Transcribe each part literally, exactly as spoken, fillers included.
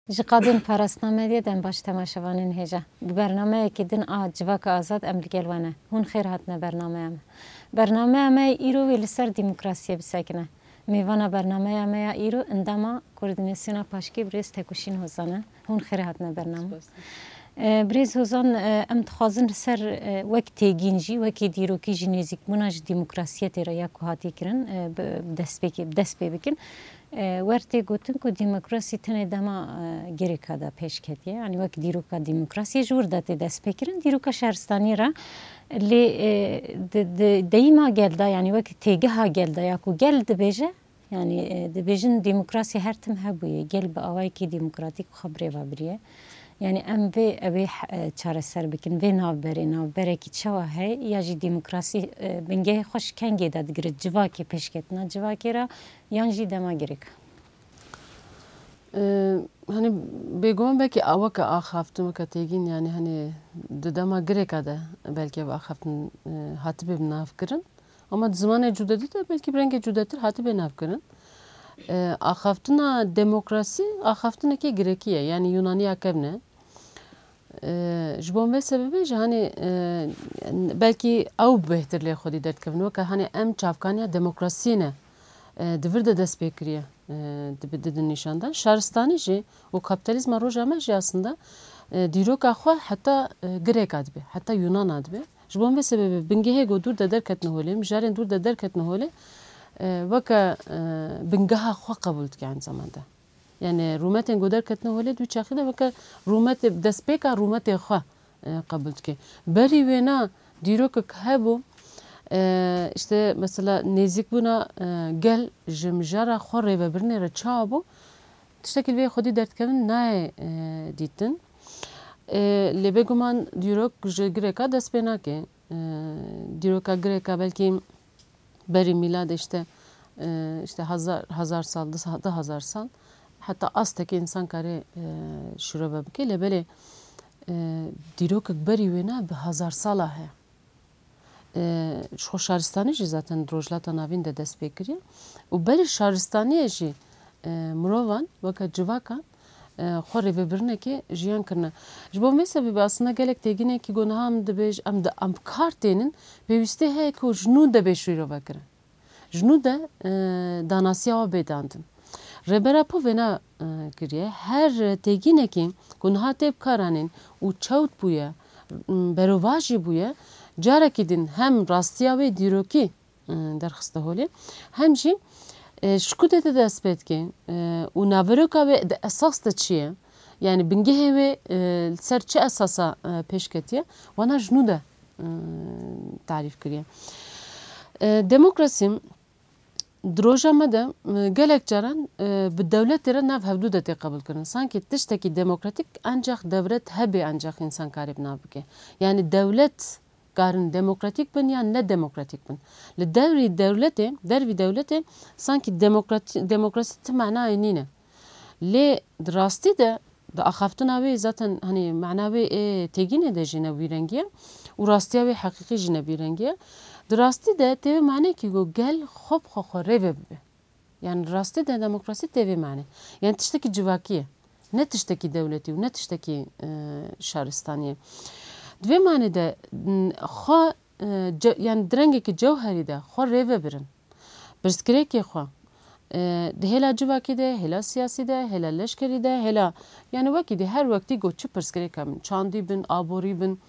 Ji qadên parastina medyê dem baş temaşevanên hêja. Bi bernameyekî din a Civaka Azad em li gel we ne. Hûn xêr hatine bernameya me. Bernameya me îro wê li ser demokrasiyê bisekine. Mêvana bernameya me ya îro endama Koordînasyona Paşkê birêz Tekuşîn Hozan e. Hûn xêr hatine bername. Spas. E, birêz Hozan, e, em dixwazin li ser, e, wek têgîn jî, wekî dîrokî jî nêzîkbûna ji demokrasiyetê re ya ku hatiye kirin, e, bi, bi dest pê, bi dest pê bikin. E, wer tê gotin ku demokrasî tenê dema, e, Girêka de pêş ketiye. Yanî wek dîroka demokrasiyê ji wir de tê destpêkirin. Dîroka şaristaniyê re lê, e, di, di deyîma gel de, yanî wek têgeha gel de ya ku gel dibêje, yanî, e, dibêjin demokrasî her tim hebûye. Gel bi awayekî demokratîk xwe bi rê ve biriye. Yanî em vê, ew ê he-, e, çareser bikin. Vê navberê, navberekî çawa heye ya jî demokrasî, e, bingehê xwe ji kengê de digire, civakê pêşketina civakê re yan jî dema Girêk? Ee, Hani bêguman belkî a weke axaftin, weke têgîn, yani hani di dema Girêka de belkî ev axaftin, e, hatibe bi nav kirin. Ama di zimanê cudedî de belkî bi rengê cudetir hatibe nav kirin. Ee, axaftina demokrasî, axaftinekê Girêkî ye, yani Yunaniya kevn e. Ee, ji bo vê sebebê jî hani, e, belkî ew bêhtir lê xwedî derdikevin. Weke hani em çavkaniya demokrasiyê ne, e, di vir de dest pê kiriye, e, dibi-, didin nîşan dan. Şaristanî jî û kapîtalîzma roja me jî aslında, e, dîroka xwe heta, e, Girêka dibe, heta Yunana dibe. Ji bo vê sebebê bingehê ku dûr de derketine holê, mijarên dûr de derketine holê, e, weke, e, bingeha xwe qebûl dike aynı zamanda. Yani rûmetên ku derketine holê, dû çaxî de weke rûmetê, destpêka rûmetê xwe, e, qebûl dike. Berî wêna dîrokek hebû, e, işte mesela nêzîkbûna, e, gel ji mijara xwe rêvebirinê re çawa bû? Tiştekî li vê xwedî derdikevin nayê, e, dîtin. E, lê bêguman dîrok ji Girêka dest pê nake. E, dîroka Girêka belkî berî mîladê işte, e, işte hazar, hazar sal, du, du hazar sal, heta astekî însan kare, e, şirove bike. Lê belê, e, dîrokek berî wêna bi hazar sala heye. E, ji xwe şaristanî jî zaten di Rojhilata Navîn de dest pê kiriye. Û berî şaristaniyê jî, e, mirovan weke civakan, e, xwe rêvebirinekê jiyan kirine. Ji bo vê sebebê aslında gelek têgînekî ku niha em dibêj-, em di, em bi kar tênin, pêwîstî heye ku ji nû de bê şîrove kirin. Ji nû de, e, danasiya we bê dandin. Rêber Apo vêna, e, kiriye. Her têgînekî ku niha tê bi kar anîn û çewt bûye, m, berovajî bûye, carekî din hem rastiya wê dîrokî, e, derxiste holê, hem jî, e, ji ku de dest pê dike, e, û naveroka wê di esas de çi ye? Yani bingehê wê, e, li ser çi esasa, e, pêş ketiye? Wana ji nû de, e, tarîf kiriye. E, demokrasî di roja me de, e, gelek caran, e, bi dewletê re nav hevdû de tê qebûlkirin. Sankî tiştekî demokratîk ancax dewlet hebe ancax însan karê bi nav bike. Yani dewlet karin demokratîk bin yan ne demokratîk bin. Li devrî dewletê, dervî dewletê sankî demokratî-, demokrasî ti manayê nîne. Lê di rastî de, di axaftina wê zaten, hani, mana wê ê têgînê de jî ne wî rengî ye û rastiya wê heqîqî jî ne wî rengî ye. Di rastî de tê wê manekî ku gel xwe bi xwe xwe rê ve bibe. Yani rastî de demokrasî tê vê manê. Yani tiştekî civakî ye. Ne tiştekî dewletî û ne tiştekî, e, şaristanî ye. Di vê manê de, n-, xwe, e, ce-, yani di rengekî cewherî de xwe rê ve birin. Pirsgirêkê xwe, e, di hêla civakî de, hêla siyasî de, hêla leşkerî de, hêla, yani wekî dî her wektî ku çi pirsgirêk hebin, çandî bin, aborî bin,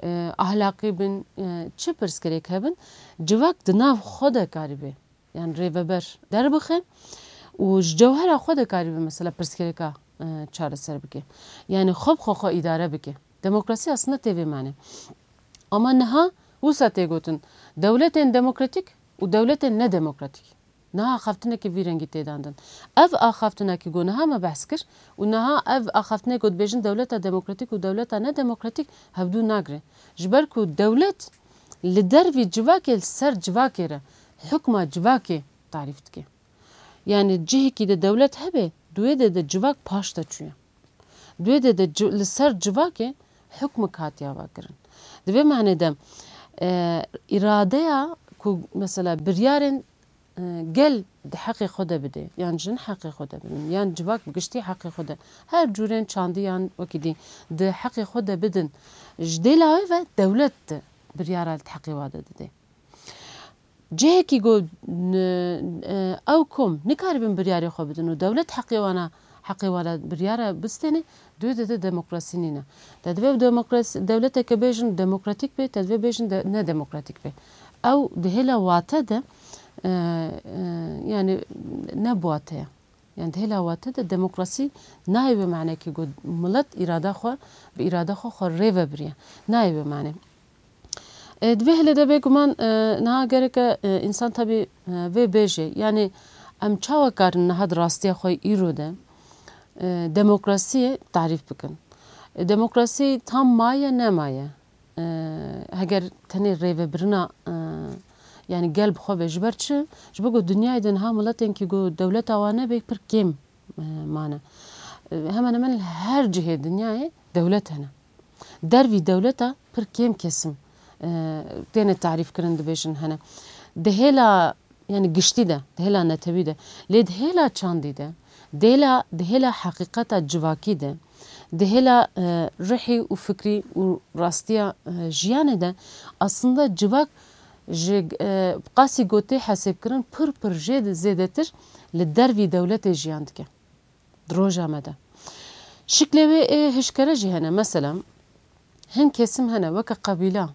e, ahlaqî bin, e, çi pirsgirêk hebin, civak di nav xwe de karîbe. Yani rêveber derbixe û ji cewhera xwe de karîbe mesela pirsgirêka, e, çareser bike. Yani xwe bi xwe xwe îdare bike. Demokrasî aslında tê vê manê. Ama niha wisa tê gotin, dewletên demokratîk û dewletên nedemokratîk. Niha axaftinekî vî rengî tê dandin. Ev axaftinekî ku niha me behs kir û niha ev axaftinê ku dibêjin dewleta demokratîk û dewleta nedemokratîk hevdû nagire. Ji ber ku dewlet li dervî civakê, li ser civakê re hukma civakê tarîf dike. Yani cihekî de dewlet hebe, di wê de de civak paş de çûye. Di wê de de ci-, li ser civakê hukmik hatiye vekirin. Di vê manê de, e, îradeya ku mesela biryarên e, gel di heqê xwe de bide, yan jin heqê xwe de bidin, yan civak bi giştî heqê xwe de, her cûrên çandiyan wekî dî di heqê xwe de bidin, ji dêla wê ve dewlet biryara li heqê wa de dide. Cihekî ku n-, e, ew kom nikaribin biryarê xwe bidin û dewlet heqê wana, heqê wana biryara bistêne, dû dide demokrasî nîne. Te divê demokrasî, dewleteke bêjin demokratîk be, te divê bêjin de, ne demokratîk be. Ew di hêla wate de, e, e, yani ne bi wate ye. Yani di hêla wate de demokrasî nayê wê manekî ku milet îrada xwe, bi îrada xwe xwe rê ve biriye. Nayê wê mane. E, di vê hilê de bêguman, e, niha gereke, e, însan tabî, e, vê bêje. Yani em çawa karin niha di rastiya xwe îro de, e, demokrasiyê tarîf bikin? E, demokrasî tam maye nemaye? E, heger tenê rêvebirina, e, yani gel bi xwe be, ji ber çi? Ji bo ku dinyayê de niha miletên kî ku dewleta wan nebe pir kêm, e, mane. E, hemen hemen li her cihê dinyayê dewlet hene. Dervî dewleta pir kêm kesim, e, têne tarîf kirin, dibêjin hene. Di hêla, yani giştî de, di hêla netewî de, lê di hêla çandî de, di hêla, di hêla heqîqeta civakî de, di hêla, e, ruhî û fikrî û rastiya, e, jiyanê de, aslında civak ji, e, qasî gotê hesêbkirin pir pir jê zêdetir li dervî dewletê jiyan dike. Di roja me de. Şiklê wê ê hişkere jî hene. Mesela, hin kesim hene, weke qebîla,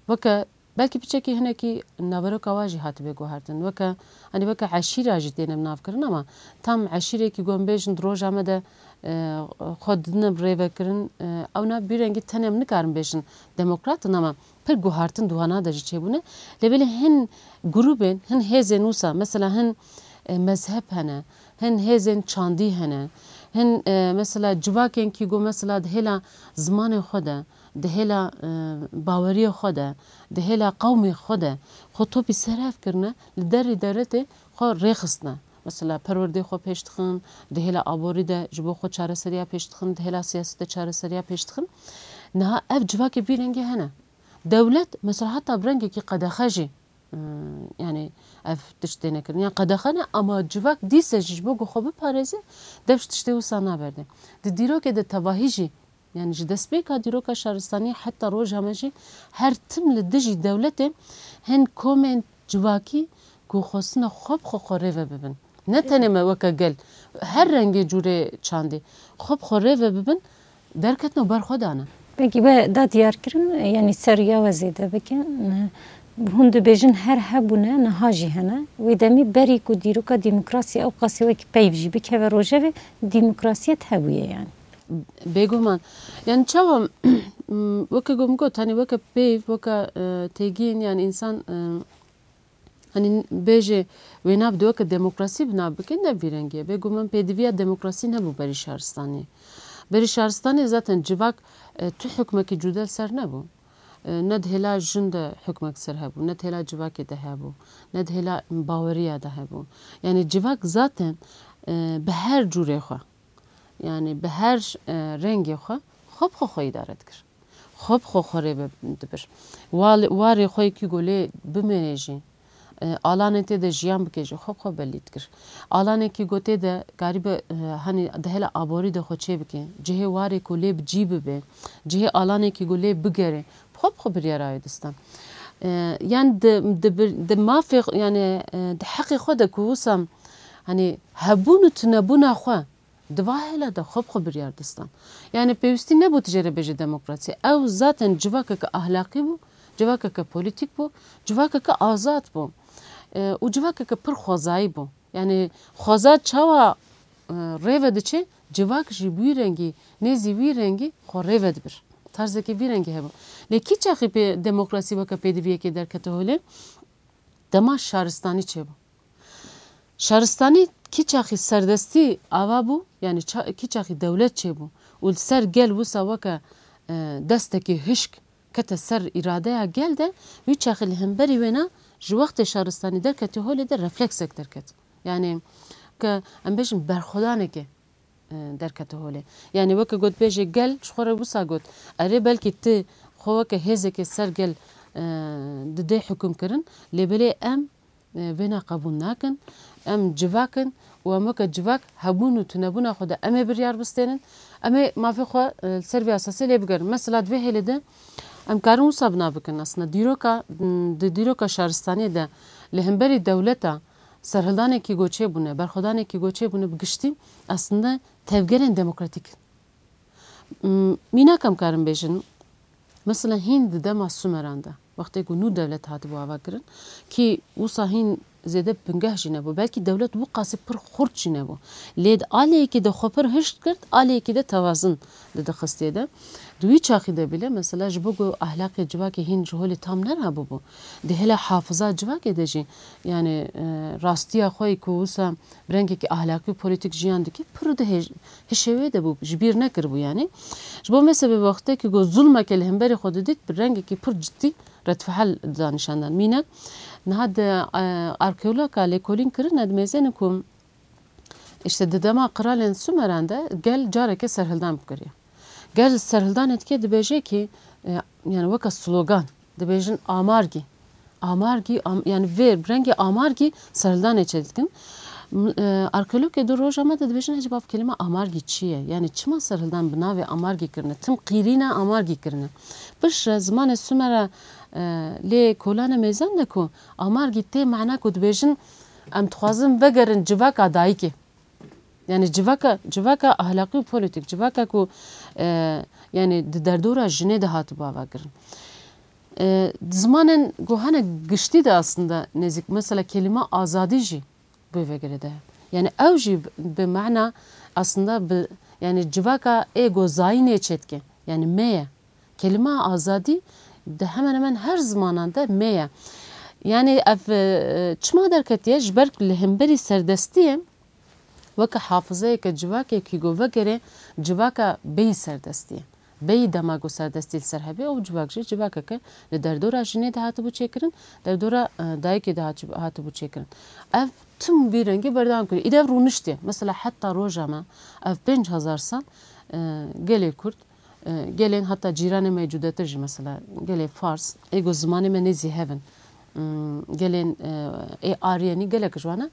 weke, belkî piçekî hinekî naveroka wa jî hatibe guhertin. Weke, hani weke eşîra jî têne bi nav kirin, ama tam eşîrekî ku em bêjin di roja me de, e, xwe didine bi rêvekirin, e, ew ne bi rengî tenê em nikarin bêjin demokrat in, ama pir guhertin di wana de jî çêbûne. Lê belê hin grûbên, hin hêzên wisa, mesela hin, e, mezheb hene, hin hêzên çandî hene, hin, e, mesela civakên kî ku mesela di hêla zimanê xwe de, di hêla, e, baweriyê xwe de, di hêla qewmê xwe de xwe topî ser hev kirine, li derî dewletê xwe rêxistine. Mesela perwerdê xwe pêş dixin, di hêla aborî de ji bo xwe çareseriya pêş dixin, di hêla siyasetê çareseriya pêş dixin. Niha ev civakê vî rengê hene. Dewlet mesela heta bi rengekî qedexe jî, e, yani ev tişt têne kirin. Yani qedexe ne, ama civak dîse jî ji bo ku xwe biparêze, dev ji tiştê wisa naberde. Di dîrokê de tevahî jî, yani ji destpêka dîroka şaristaniyê heta roja me jî her tim li dijî dewletê hin komên civakî ku xwestine xwe bi xwe xwe rêve bibin. Ne tenê me weke gel, her rengê cûrê çandê xwe bi xwe rêve bibin, derketin û ber xwe dane. Belkî we da diyar kirin, yanî ser ya we zêde bikin. Hûn dibêjin her hebûne, niha jî hene. Wê demî berî ku dîroka demokrasiyê ew qasî wekî peyv jî bikeve rojevê, demokrasiyet hebûye yani. Bêguman. Yani çawa, weke ku min got, hani weke peyv, weke, e, têgihên, yani însan, e, Hani bêje wê nav di weke demokrasî bi nav bike, ne vî rengî ye. Bêguman pêdiviya demokrasî nebû berî şaristaniyê. Berî şaristaniyê zaten civak, e, tu hukmekî cuda li ser nebû. E, ne di hêla jin de hukmek ser hebû, ne di hêla civakê de hebû, ne di hêla baweriya de hebû. Yani civak zaten, e, bi her cûrê xwe, yani bi her, e, rengê xwe, xwe bi xwe xwe îdare dikir. Xwe bi xwe xwe rê ve dibir. Wa-, warê xwe yekî ku lê bimêne jî, e, alanê tê de jiyan bike jî, xwe bi xwe belî dikir. Alanekî ku tê de karibe, e, hani di hela aborî de xwe çê bike, cihê warê ku lê bi cî bibe, cihê alanekî ku lê bigere, bi xwe bi xwe biryara wê distan. E, yan di, di bir, di mafê xwe, yani, e, di heqê xwe de ku wisa, hani hebûn û tunebûna xwe, Di va hêla de xwe bi xwe biryar distan. Yani pêwîstî nebû tu jê re bêje demokrasî. Ew zaten civakeke ahlaqî bû, civakeke polîtîk bû, civakeke azad bû. E, û civakeke pir xwezayî bû. Yani xweza çawa, e, rê ve diçe, civak jî bi wî rengî, nêzî wî rengî xwe rê ve dibir. Tarzeke vî rengî hebû. Lê kî çaxî pê demokrasî weke pêdiviyekê derkete holê? Dema şaristanî çêbû. Şaristanî kî çaxî serdestî ava bû, yani ça-, kî çaxî dewlet çêbû û li ser gel wisa weke, e, destekî hişk kete ser îradeya gel de, wî çaxî li hemberî wêna ji wextê şaristanî derketî holê de refleksek derket. Yani ke em bêjin berxwedaneke, e, derkete holê. Yani weke gotbêjê gel ji xwe re wisa got, erê belkî tu xwe weke hêzeke ser gel, e, didê hukum kirin, lê belê em e, vêna qebûl nakin. Em civak in û em weke civak hebûn û tunebûna xwe de em ê biryar bistênin. Em ê mafê xwe, e, li ser vê esasê lê bigerin. Mesela di vê hêlê de em karin wisa bina bikin. Aslında dîroka, m, di dîroka şaristaniyê de li hemberî dewleta serhildanekî ku çêbûne, berxwedanekî ku çêbûne bi giştî aslında tevgerên demokratîk in. M, mînak em karin bêjin, mesela hîn di dema Sumeran de, wextê ku nû dewlet hatibû avakirin, kî wisa hîn zêde bingeh jî nebû, belkî dewlet wî qasî pir xurt jî nebû. Lê di aliyekî de xwe pir hişk kir, aliyekî de tewazin didixistê de. Di wî çaxî de bîle, mesela ji bo ku ahlaqê civakê hîn ji holê tam nerabûbû, di hêla hafiza civakê de jî, yani, e, rastiya xwe yê ku wisa bi rengekî ahlaqî û polîtîk jiyan dike, pir di hêj-, hişê wê de bû, ji bîr nekiribû yani. Ji bo mesela wextekî ku zulmeke li hemberî xwe didît, bi rengekî pir cidî redfihal dida nîşandan. Mînak, niha di, e, arkeologa lêkolîn kirine, dimêzêne ku işte di dema qiralên Sumeran de gel careke serhildan bikiriye. Gel serhildanê dike dibêje ki, e, yani weke slogan, dibêjin amargî. Amargî, am-, yani vê rengê amargî serhildanê çêdikin. M-, e, arkeologê di roja me de dibêjin, hecî bav kelîma amargî çi ye? Yani çima serhildan bi navê amargî kirine? Tim qîrîna amargî kirine. Piştre zimanê Sumera, e, lê kolane mêzan de ku amargî tê mana ku dibêjin, em dixwazin vegerin civaka dayikê. Yani civaka, civaka ahlaqî û polîtîk, civaka ku, e, yani di derdora jinê de hatibû avakirin. E, di zimanên ku hene giştî de aslında nêzîk, mesela kelîma azadî jî bi vê girê de ye. Yani ew jî bi mana aslında bi, yani civaka ê ku zayînê çêdike. Yani me ye. Kelîma azadî di hemen hemen her zimanan de me ye. Yani ev, e, çima derketiye? Ji ber ku li hemberî serdestiyê weke hafizeyeke civakekî ku vegerê civaka bêyî serdestiyê. Bêyî dema ku serdestî li ser hebe, ew civak jî civakeke li derdora jinê de hatibû çêkirin, derdora, e, dayikê de hatibû, hatibû çêkirin. Ev tim vî rengî berdewam kiriye. Îde ev rûniştiye. Mesela heta roja me, ev pênc hezar sal, e, gelê Kurd, e, gelên heta cîranê me yê cudetir jî, mesela gelê Fars, ê ku zimanê me nêzî hev in, m, gelên, e, ê Aryenî, gelek ji wana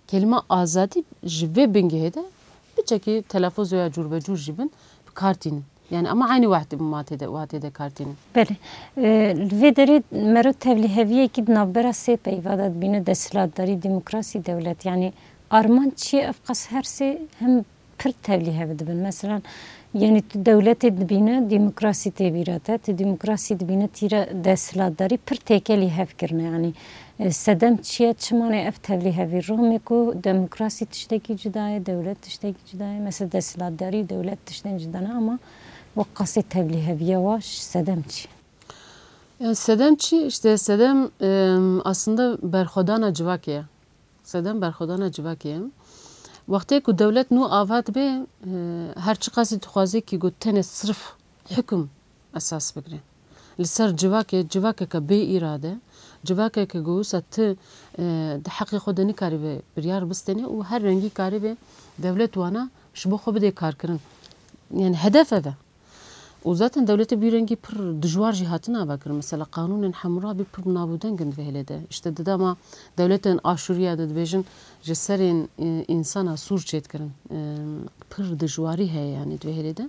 kelîma azadî ji vê bingehê de piçekî telafûz ya cûrbecûr jî bin, bi kar tînin. Yani ama eynî wext matê de, watê de kar tînin. Belê. E, li vê derê mero tevlîheviyekî di navbera sê peyva de dibîne, desthilatdarî, demokrasî, dewlet. Yani armanc çi ye? Ev qas her sê hem pir tevlîhev dibin. Mesela, yani tu dewletê dibîne, demokrasî tê bîra te, tu demokrasî dibîne, tîre desthilatdarî, pir têkelî hev kirine. Yani, e, sedem çi ye, çi mane ev tevlîhevî? Romê ku demokrasî tiştekî cuda ye, dewlet tiştekî cuda ye. Mesela desthilatdarî û dewlet tiştên cuda ne, ama wek qasê tevlîheviya wa sedem çi? Yani sedem çi? İşte sedem, em, aslında berxwedana civakê ye. Sedem berxwedana civakê ye. Wextê ku dewlet nû ava dibe, e, her çiqasî dixwaze kî ku tenê sirf hukm esas bigire. Li ser civakê, civakeke bê îrade, civakeke ku wisa ti, e, di heqê xwe de nikarî ve biryar bistêne û her rengî karî ve dewlet wana ji bo xwe bidê karkirin. Yani hedef ev e. Û zaten dewletê bi vî rengî pir dijwar jî hatin avakirin. Mesela qanûnên Hammurabi pir bi nav û deng in di vê hêlê de. Îşte di dema dewletên Aşûriya de dibêjin ji serên, e, însana sûr çêdikirin. E, pir dijwarî heye yani di vê hêlê de.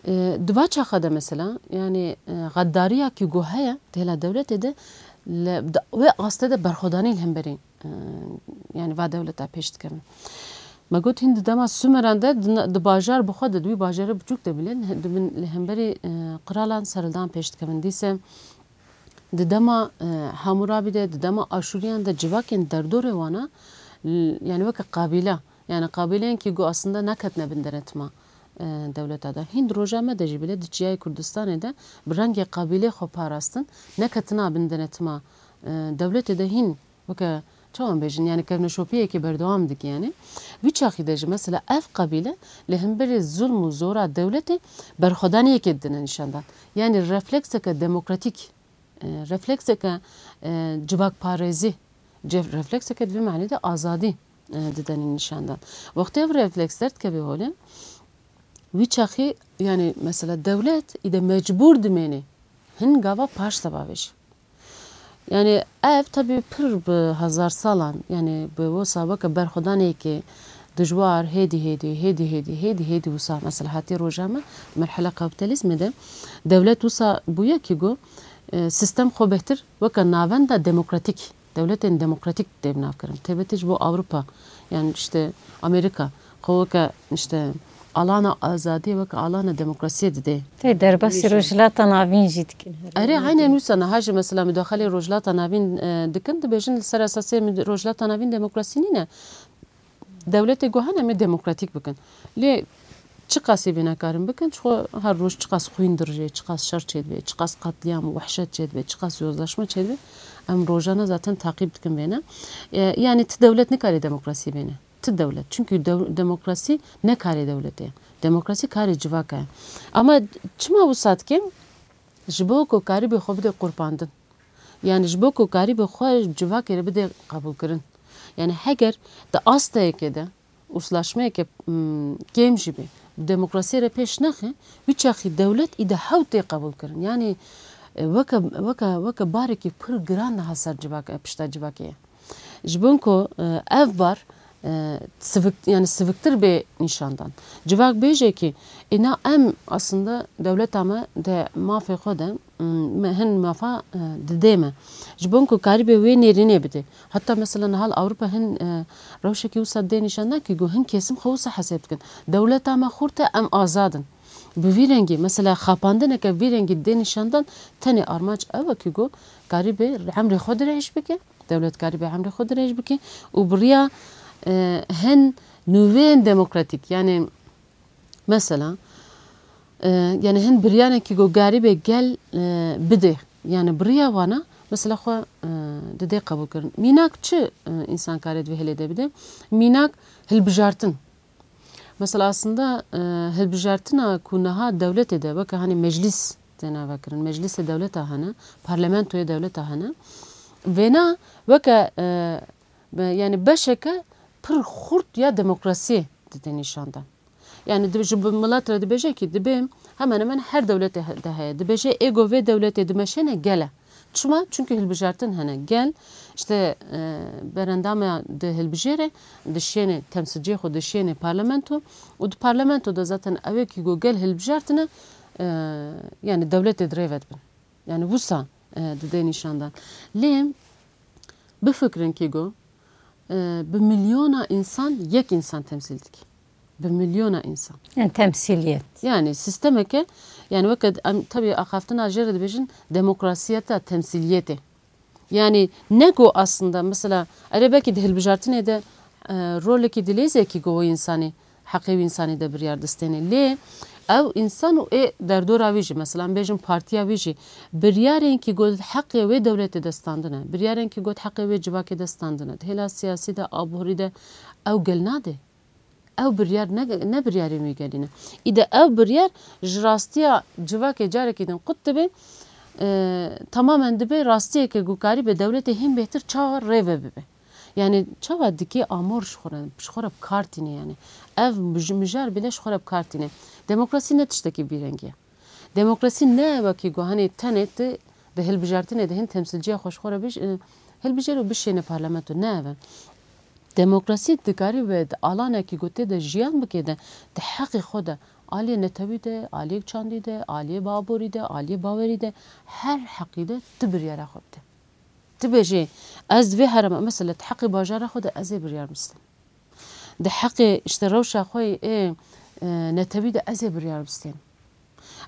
E, di va çaxa de mesela, yani, e, xeddariya kî ku heye di hêla dewletê de, li, di wê astê de berxwedanî li hemberî e, yani va dewleta pêş dikevin. Me got hîn di dema Sumeran de di, di bajar bi xwe de, di wî bajarê biçûk de bile, li, di bin, li hemberî, e, qiralan serhildan pêş dikevin. Dîse di dema, e, Hamurabi de, di dema Aşûriyan de civakên derdorê wana, l-, yani weke qabîle, yani qabîleyên kî ku aslında neketine bin denetima, e, dewleta de. Hîn di roja me de jî bile di çiyayê Kurdistanê de bi rengê qabîlê xwe parastin, neketina bin denetima, e, dewletê de hîn Weke çawan bêjin, yani kevneşopiyekê berdewam dike yani. Wî çaxî de jî mesela ev qabîle li hemberî zulm û zora dewletê berxwedaniyekê didine nîşandan. Yani reflekseke demokratîk, e, reflekseke, e, civakparêzî, ce-, reflekseke di vê manê de azadî, e, didene nîşandan. Wextê ev refleks derdikeve holê, wî çaxî yani mesela dewlet îde mecbûr dimêne hin gava paş de bavêje. Yani ev tabii pir bi hezar salan, yani bi wisa weke berxwedaneke dijwar, hêdî hêdî, hêdî hêdî, hêdî hêdî wisa mesela hatiye roja me, merhela kapitalizmê de dewlet wisa bûye ki got, e, sistem xwe bêhtir weke navenda demokratîk, dewletên demokratîk tê binavkirin. Taybetî ji bo Ewropa, yani işte Amerîka, xwe weke işte alana azadiyê, weke alana demokrasiyê didê. Tê derbasî Nîşan. Rojhilata Navîn jî dikin. Erê, aynen wisa niha jî mesela mudaxalê Rojhilata Navîn, e, dikin, dibêjin li ser esasê min Rojhilata Navîn demokrasî nîne. Dewletê got hene em ê demokratîk bikin. Lê çiqasî vê nekarin bikin, çixwe her roj çiqas xwîn dirije, çiqas şer çêdibe, çiqas qetlîam û wehşet çêdibe, çiqas yozlaşma çêdibe, em rojane zaten taqîb dikin vêne. E, yani ti dewlet nikare demokrasî bêne. Ti dewlet. Çünkü dew-, demokrasî ne karê dewletê ye. Demokrasî karê civaka ye. Ama çima wisa dike? Ji bo ku karîbê xwe bide qurbandin. Yani ji bo ku karîbê xwe civakê re bide qebûlkirin. Yani heger di asteyekê de, uzlaşmeyeke, mm, kêm jî be, demokrasiyê re pêş nexe, wî çaxî dewlet î de hew tê qebûlkirin. Yani, e, weke, weke, weke barekî pir giran niha ser civak-, pişta civakê ye. Ji bo ku, e, ev bar, e, sivik, yani siviktî bê nîşandan. Civak bêje ki, îna em aslında dewleta me de mafê xwe de, m-, me hin mafa, e, didê me. Ji bo ku karîbê wê nêrînê bidê. Heta mesela niha li Ewropa hin, e, rewşekî wisa dê nîşandan ki got hin kesim xwe wisa hesêb dikin. Dewleta me xurt e, em azad in. Bi vî rengî, mesela xapandineke vî rengî dê nîşandan tenê armanc ew e ki got karîbê emrê xwe dirêj bike. Dewlet karîbe emrê xwe dirêj bike û bi riya, e, hin nûvên demokratîk, yani mesela, e, yani hin biryarên ki got karîbe gel, e, bide, yani bi riya wana mesela xwe, e, didê qebûl kirin. Mînak çi, e, însan kare di vê hilê de bide? Mînak hilbijartin. Mesela aslında, e, hilbijartina ku niha dewletê de weke hani meclîs têne vekirin, meclîsê dewleta hene, parlamentoyê dewleta hene, vêna weke, e, be-, yani beşeke pir xurt ya demokrasiyê dide nîşandan. Yani di-, ji bi milet re dibêje ki dibê hemen hemen her dewletê he-, de heye. Dibêje êgo vê dewletê dimeşêne gel e. Çima? Çünkü hilbijartin hene. Gel, işte, e, berendama di hilbijêre, dişêne temsilciyê xwe, dişêne parlamento û di parlamento de zaten ew ê ki got gel hilbijartine, e, yani dewletê di rê ve dibin. Yani wisa, e, dide nîşandan. Lê bifikirin ki got, e, bi milyona însan yek însan temsîl dike. Bi milyona însan. Yani temsîliyet. Yani sîstemeke, yani weke em tabii axaftina jê re dibêjin demokrasiyeta temsîliyetê. Yani ne ku aslında mesela erê belkî di hilbijartinê de, e, rolekî dileyîze ki ku o însanî heqê wî însanî de biryar distêne. Lê ew însan û ê derdora wî jî, mesela em bêjin partiya wî jî biryarên ki got heqê wê dewletê de standine, biryarên ki got heqê wê civakê de standine, di hêla siyasî de, aborî de ew gel nade. Ew biryar ne, ne biryarên wî gelî ne. Îde ew biryar ji rastiya civakê carekî din qut dibe, e, tamamen dibe rastiyeke ku karîbe dewletê hîn bêhtir çawa rê ve bibe. Yani çawa dikê amor ji xwe re, ji xwe re bi kar tîne yani. Ev mij-, mijar bile ji xwe re bi kar tîne. Demokrasî ne tiştekî vî rengî ye. Demokrasî ne wekî ku henê tenê tu di hilbijartinê de hin temsilciya xwe ji xwe re bij-, e, hilbijêr û bişêne parlamento. Ne ev e. Demokrasî dikarî be di alanekî ku tê de jiyan bike de, di heqê xwe de, aliyê netewî de, aliyê çandî de, aliyê baborî de, aliyê bawerî de, her heqî de tu biryara xwe bide. Tu bêjê, ez di vê herêma, mesela di heqê bajara xwe de ez ê biryar bistêm. Di heqê işte rewşa xwe yê, e, netewî de ez ê biryar bistêm.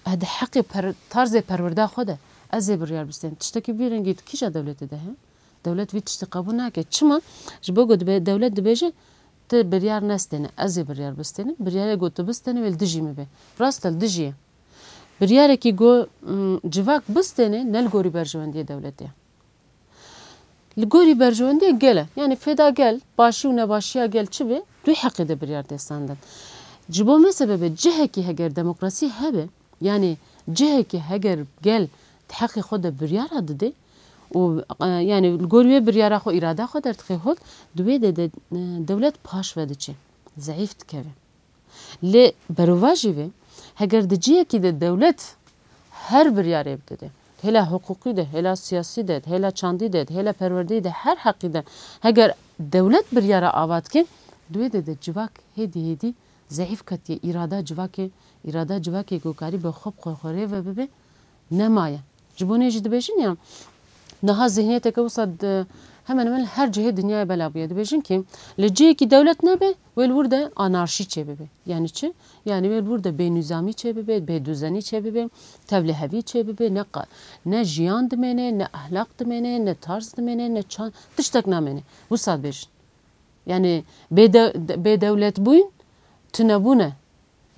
E, di heqê per-, tarzê perwirda xwe de ez ê biryar bistêm. Tiştekî vî rengî di kîja dewletê de heye? Dewlet vî tiştî qebûl nake. Çima? Ji bo ku dibe, dewlet dibêje, tu biryar nestêne, ez ê biryar bistênim. Biryarê ku tu bistênî wê li dijî min be. Rast e, li dijî ye. Biryarekî ku, mm, civak bistêne, ne li gorî berjewendiyê dewletê ye. Li gorî berjewendiyê gel e. Yani fêda gel, başî û nebaşiya gel çi be, tu heqê de biryar tê standin. Ji bo me sebebe cihekî heger demokrasî hebe, yani cihekî heger gel di heqê xwe de biryara dide û, e, yani li gor wê biryara xwe, îrada xwe derdixê hol, di wê de, de, e, dewlet paş ve diçe, zeîf dikeve. Lê berovajî vê, heger di cihekî de dewlet her biryarê bide de, hêla hiqûqî de, hêla siyasî de, hêla çandî de, hêla perwerdeyî de, her heqî de, heger dewlet biryara ava dike, di wê de de civak hêdî hêdî zehîf ketiye. Îrada civakê, îrada civakê ku karî bi xwe bi xwe xwe rê ve bibe, nemaye. Ji bo nê jî dibêjin ya, niha zihniyeteke wisa di, hemen hemen her cihê dinyayê bela bûye. Dibêjin ki, li cihekî dewlet nebe, wê li wir de anarşî çêbibe. Yani çi? Yani wê li wir de bênîzamî çêbibe, bêduzenî çêbibe, tevlihevî çêbibe, ne qa-, ne jiyan dimêne, ne ehlaq dimêne, ne tarz dimêne, ne çand, tiştek namêne. Wisa dibêjin. Yani bêde-, bêdewletbûyîn tunebûne.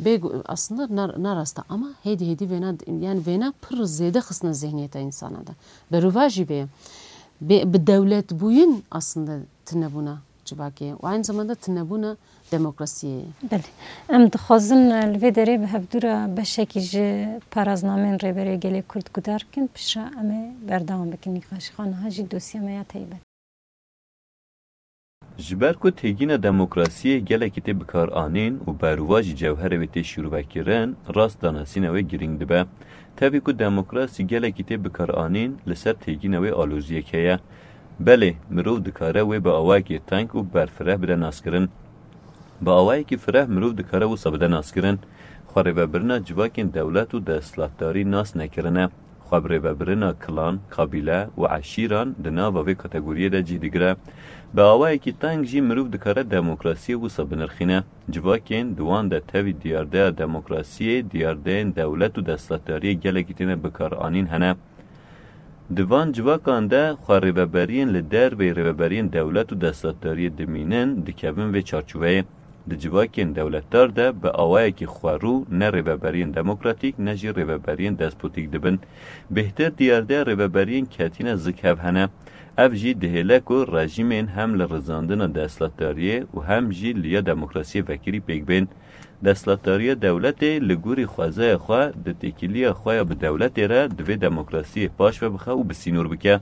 Bê, aslında nar-, narasta ama hêdî hêdî vêna, yani vêna pir zêde xistine zihniyeta insana de. Berûva jî vê ye. Bê, bi dewletbûyîn aslında tunebûna civakê ye. Û aynı zamanda tunebûna demokrasiyê ye. Belê. Em dixwazin, e, li vê derê bi hevdû re beşekî ji paraznameyên Rêberê Gelê Kurd guhdar bikin, piştre em ê berdewam bikin nîqaşê xwe. Niha jî dosya me ya taybet. Ji ber ku têgîna demokrasiyê gelekî tê bikaranîn û berûva jî cewherê wê tê şîrove kirin, rast danasîna wê girîng dibe. Tevî ku demokrasî gelekî tê bikaranîn, li ser têgîna wê aloziyek heye. Belê, mirov dikare wê bi awayekî teng û berfireh bide naskirin. Bi awayekî fireh mirov dikare wisa bide naskirin. Xwerêvebirina civakên dewlet û desthilatdarî nas nekirine. Xwe bi rêvebirina kilan, kabîle û eşîran di nava vê kategoriyê de cih digire. Bi awayekî teng jî mirov dikare demokrasiyê wisa binirxîne. Civakên di wan de tevî diyardeya demokrasiyê, diyardeyên dewlet û desthilatdariyê gelekî têne bikaranîn hene. Di van civakan de xwe rêveberiyên li derveyî rêveberiyên dewlet û desthilatdariyê dimînin, dikevin vê çarçoveyê. Di civakên dewletdar de bi awayekî xwerû ne rêveberiyên demokratîk ne jî rêveberiyên despotîk dibin. Bêhtir diyardeya rêveberiyên ketîne zik hev hene. Ev jî dihêle ku rejîmên hem li rizandina desthilatdariyê û hem jî li ya demokrasiyê vekirî pêk bên. Desthilatdariya dewletê li gorî xwezaya xwe di têkiliya xwe ya bi dewletê re divê demokrasiyê paş ve bixe û bi sînor bike.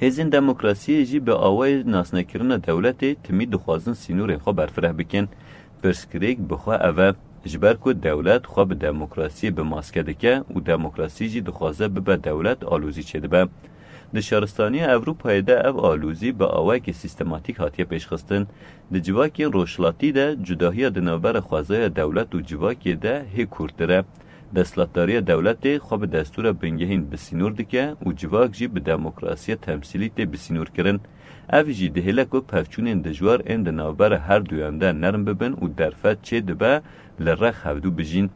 Hêzên demokrasiyê jî bi awayê nasnekirina dewletê timî dixwazin sînorên xwe berfireh bikin. Pirsgirêk bi xwe ev e, ji ber ku dewlet xwe bi demokrasiyê bi maske dike û demokrasî jî dixwaze bibe dewlet, alozî çêdibe. Di şaristaniya Ewropayê de ev alozî bi awayekî sîstematîk hatiye pêşxistin. Di civakên rojhilatî de cudahiya di navbera xwezaya dewlet û civakê de hê kûrtir e. Desthilatdariya dewletê xwe bi destûra bingehîn bi sînor dike û civak jî bi demokrasiya temsîlî tê bi sînor kirin. Ev jî dihêle ku pevçûnên dijwar ên di navbera her duyan de nerm bibin û derfet çê dibe li rex hevdû bijîn.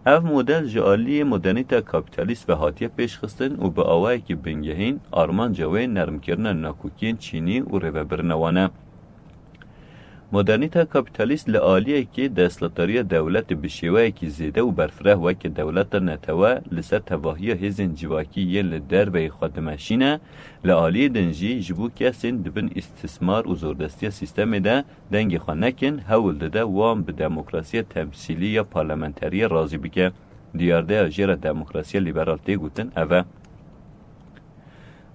Ev model ji aliyê modernîta kapîtalîst ve hatiye pêşxistin û bi awayekî bingehîn armanca wê nermkirina nakokiyên çînî û rêvebirina wan e. Modernîta kapîtalîst li aliyekê desthilatdariya dewletê bi şêweyekî zêde û berfireh weke dewleta netewe li ser tevahiya hêzên civakî yên li derveyî xwe dimeşîne, li aliyê din jî ji bo kesên di bin îstismar û zordestiya sîstemê de dengê xwe nekin, hewl dide wan bi demokrasiya temsîlî ya parlamenteriyê razî bike. Diyardeya jê re demokrasiya lîberal tê gotin ev e.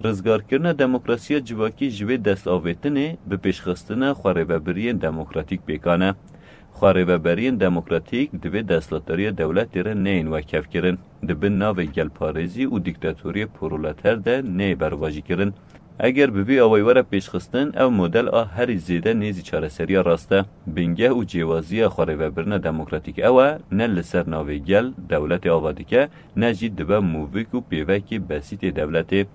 Rizgarkirina demokrasiya civakî ji vê destavêtinê bi pêşxistina xwerêvebiriyên demokratîk pêkan e. Xwerêveberiyên demokratîk di vê desthilatdariya dewletê re neyên wekhev kirin, di bin navê gelparêzî û dîktatoriyê proleter de neyê berovajî kirin. Eger bi vî awayî were pêşxistin, ev model a herî zêde nêzî çareseriya rast e. Bingeh û cêwaziya xwerêvebirina demokratîk ew e, ne li ser navê gel dewletê ava dike, ne jî dibe movik û pêvekê besîtê dewletê.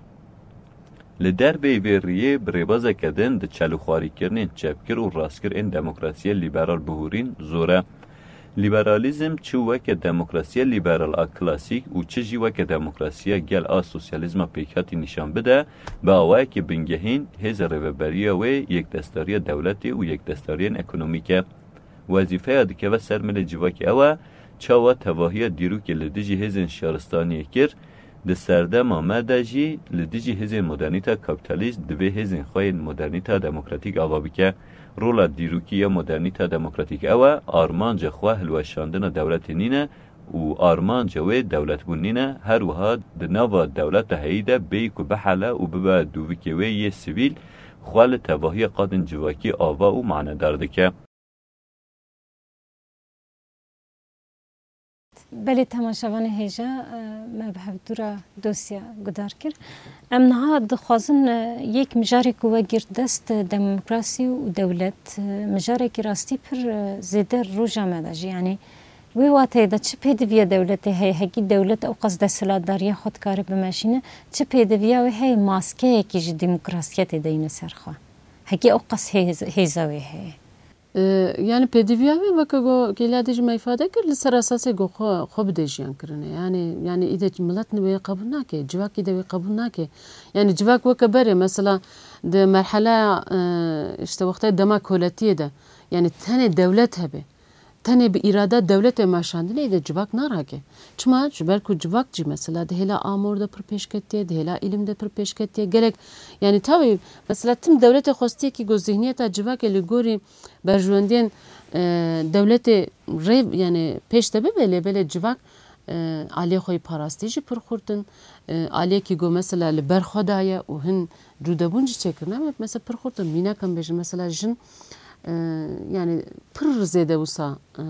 Li derveyî vê riyê bi rêbazeke din di çelûxwarîkirinên çepgir û rastgir ên demokrasiya lîberal bihûrîn zor e. Lîberalîzm çi weke demokrasiya lîberal a klasîk û çi jî weke demokrasiya gel a sosyalîzma pêkhatî nîşan bide, bi awayekî bingehîn hêza rêveberiya wê yekdestdariya dewletê û yekdestdariyên ekonomîk e. Wezîfeya dikeve ser milê civakê ew e, çawa tevahiya dîrokê li dijî hêzên şaristaniyê kir, di serdema me de jî li dijî hêzên modernîta kapîtalîst divê hêzên xwe yên modernîta demokratîk ava bike. Rola dîrokî ya modernîta demokratîk ew e, armanca xwe hilweşandina dewletê nîne û armanca wê dewletbûn nîne, her wiha di nava dewleta heyî de bêyî ku bihele û bibe dûvikê wê yê sivîl, xwe li tevahiya qadên civakî ava û manedar dike. Belê temaşevanê hêja, e, me bi hevdû re dosya guhdar kir. Em niha dixwazin, e, yek mijarê ku we girt dest, e, demokrasî û dewlet, e, mijarekî rastî pir, e, zêde roja me de jî. Yanî wê wateyê de çi pêdiviya dewletê heye, hekî dewlet ew qas desthilatdariya xwe dikare bimeşîne, çi pêdiviya wê heye maskeyekî ji demokrasiyetê deyne ser xwe? Hekî ew qas hêz-, hêza wê heye? E, yani pêdiviya wê weke ku kêliya dê jî me îfade kir, li ser esasê ku xwe, xwe bide jiyan kirine. Yani, yani îde milet wê qebûl nake, civak îde wê qebûl nake. Yani civak weke berê, mesela di merheleya, e, işte wextê dema koletiyê de, yani tenê dewlet hebe, tenê bi îrada dewletê meşandinê îde civak narake. Çima? Ji ber ku civak jî mesela di hêla amor de pir pêşketiye, di hêla îlim de pir pêşketiye. Gelek, yani tawî mesela tim dewletê xwestiyekî ku zihniyeta civakê li gorî berjewendiyên, e, dewletê rê, yani pêş de bibe, lê belê civak, e, aliyê xwe yê parastî jî pir xurt in. E, aliyekî ku mesela li ber xwe daye û hin cûdebûn jî çêkirine, me-, mesela pir xurt in. Mînak em bêjin, mesela jin, e, yani pir zêde wisa, e,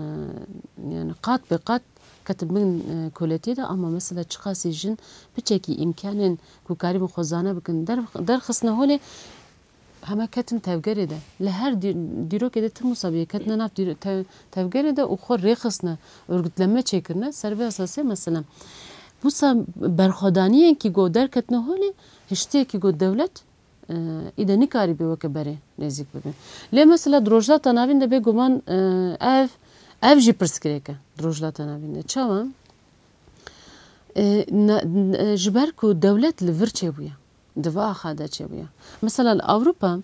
yani qat be qat ketin bin, e, koletiyê de, ama mesela çiqasî jin piçekî îmkanên ku karîbin xwe zane bikin, der-, derxistine holê, heme ketin tevgerê de. Li her dî-, dîrokê de tim wisa bûye, ketine nav dîro-, te-, tevgerê de û xwe rêxistine, örgütleme çêkirine, ser vê esasê mesela. Wisa berxwedaniyên kî ku derketine holê, hiştiyekî ku dewlet, e, îde nikarîbe weke berê nêzîk bibe. Lê mesela di Rojhilata Navîn de bêguman, e, ev, ev jî pirsgirêk e di Rojhilata Navîn de. Çawa? E, na-, e, ji ber ku dewlet li vir çêbûye. Di va axa de çêbûye. Mesela li Ewropa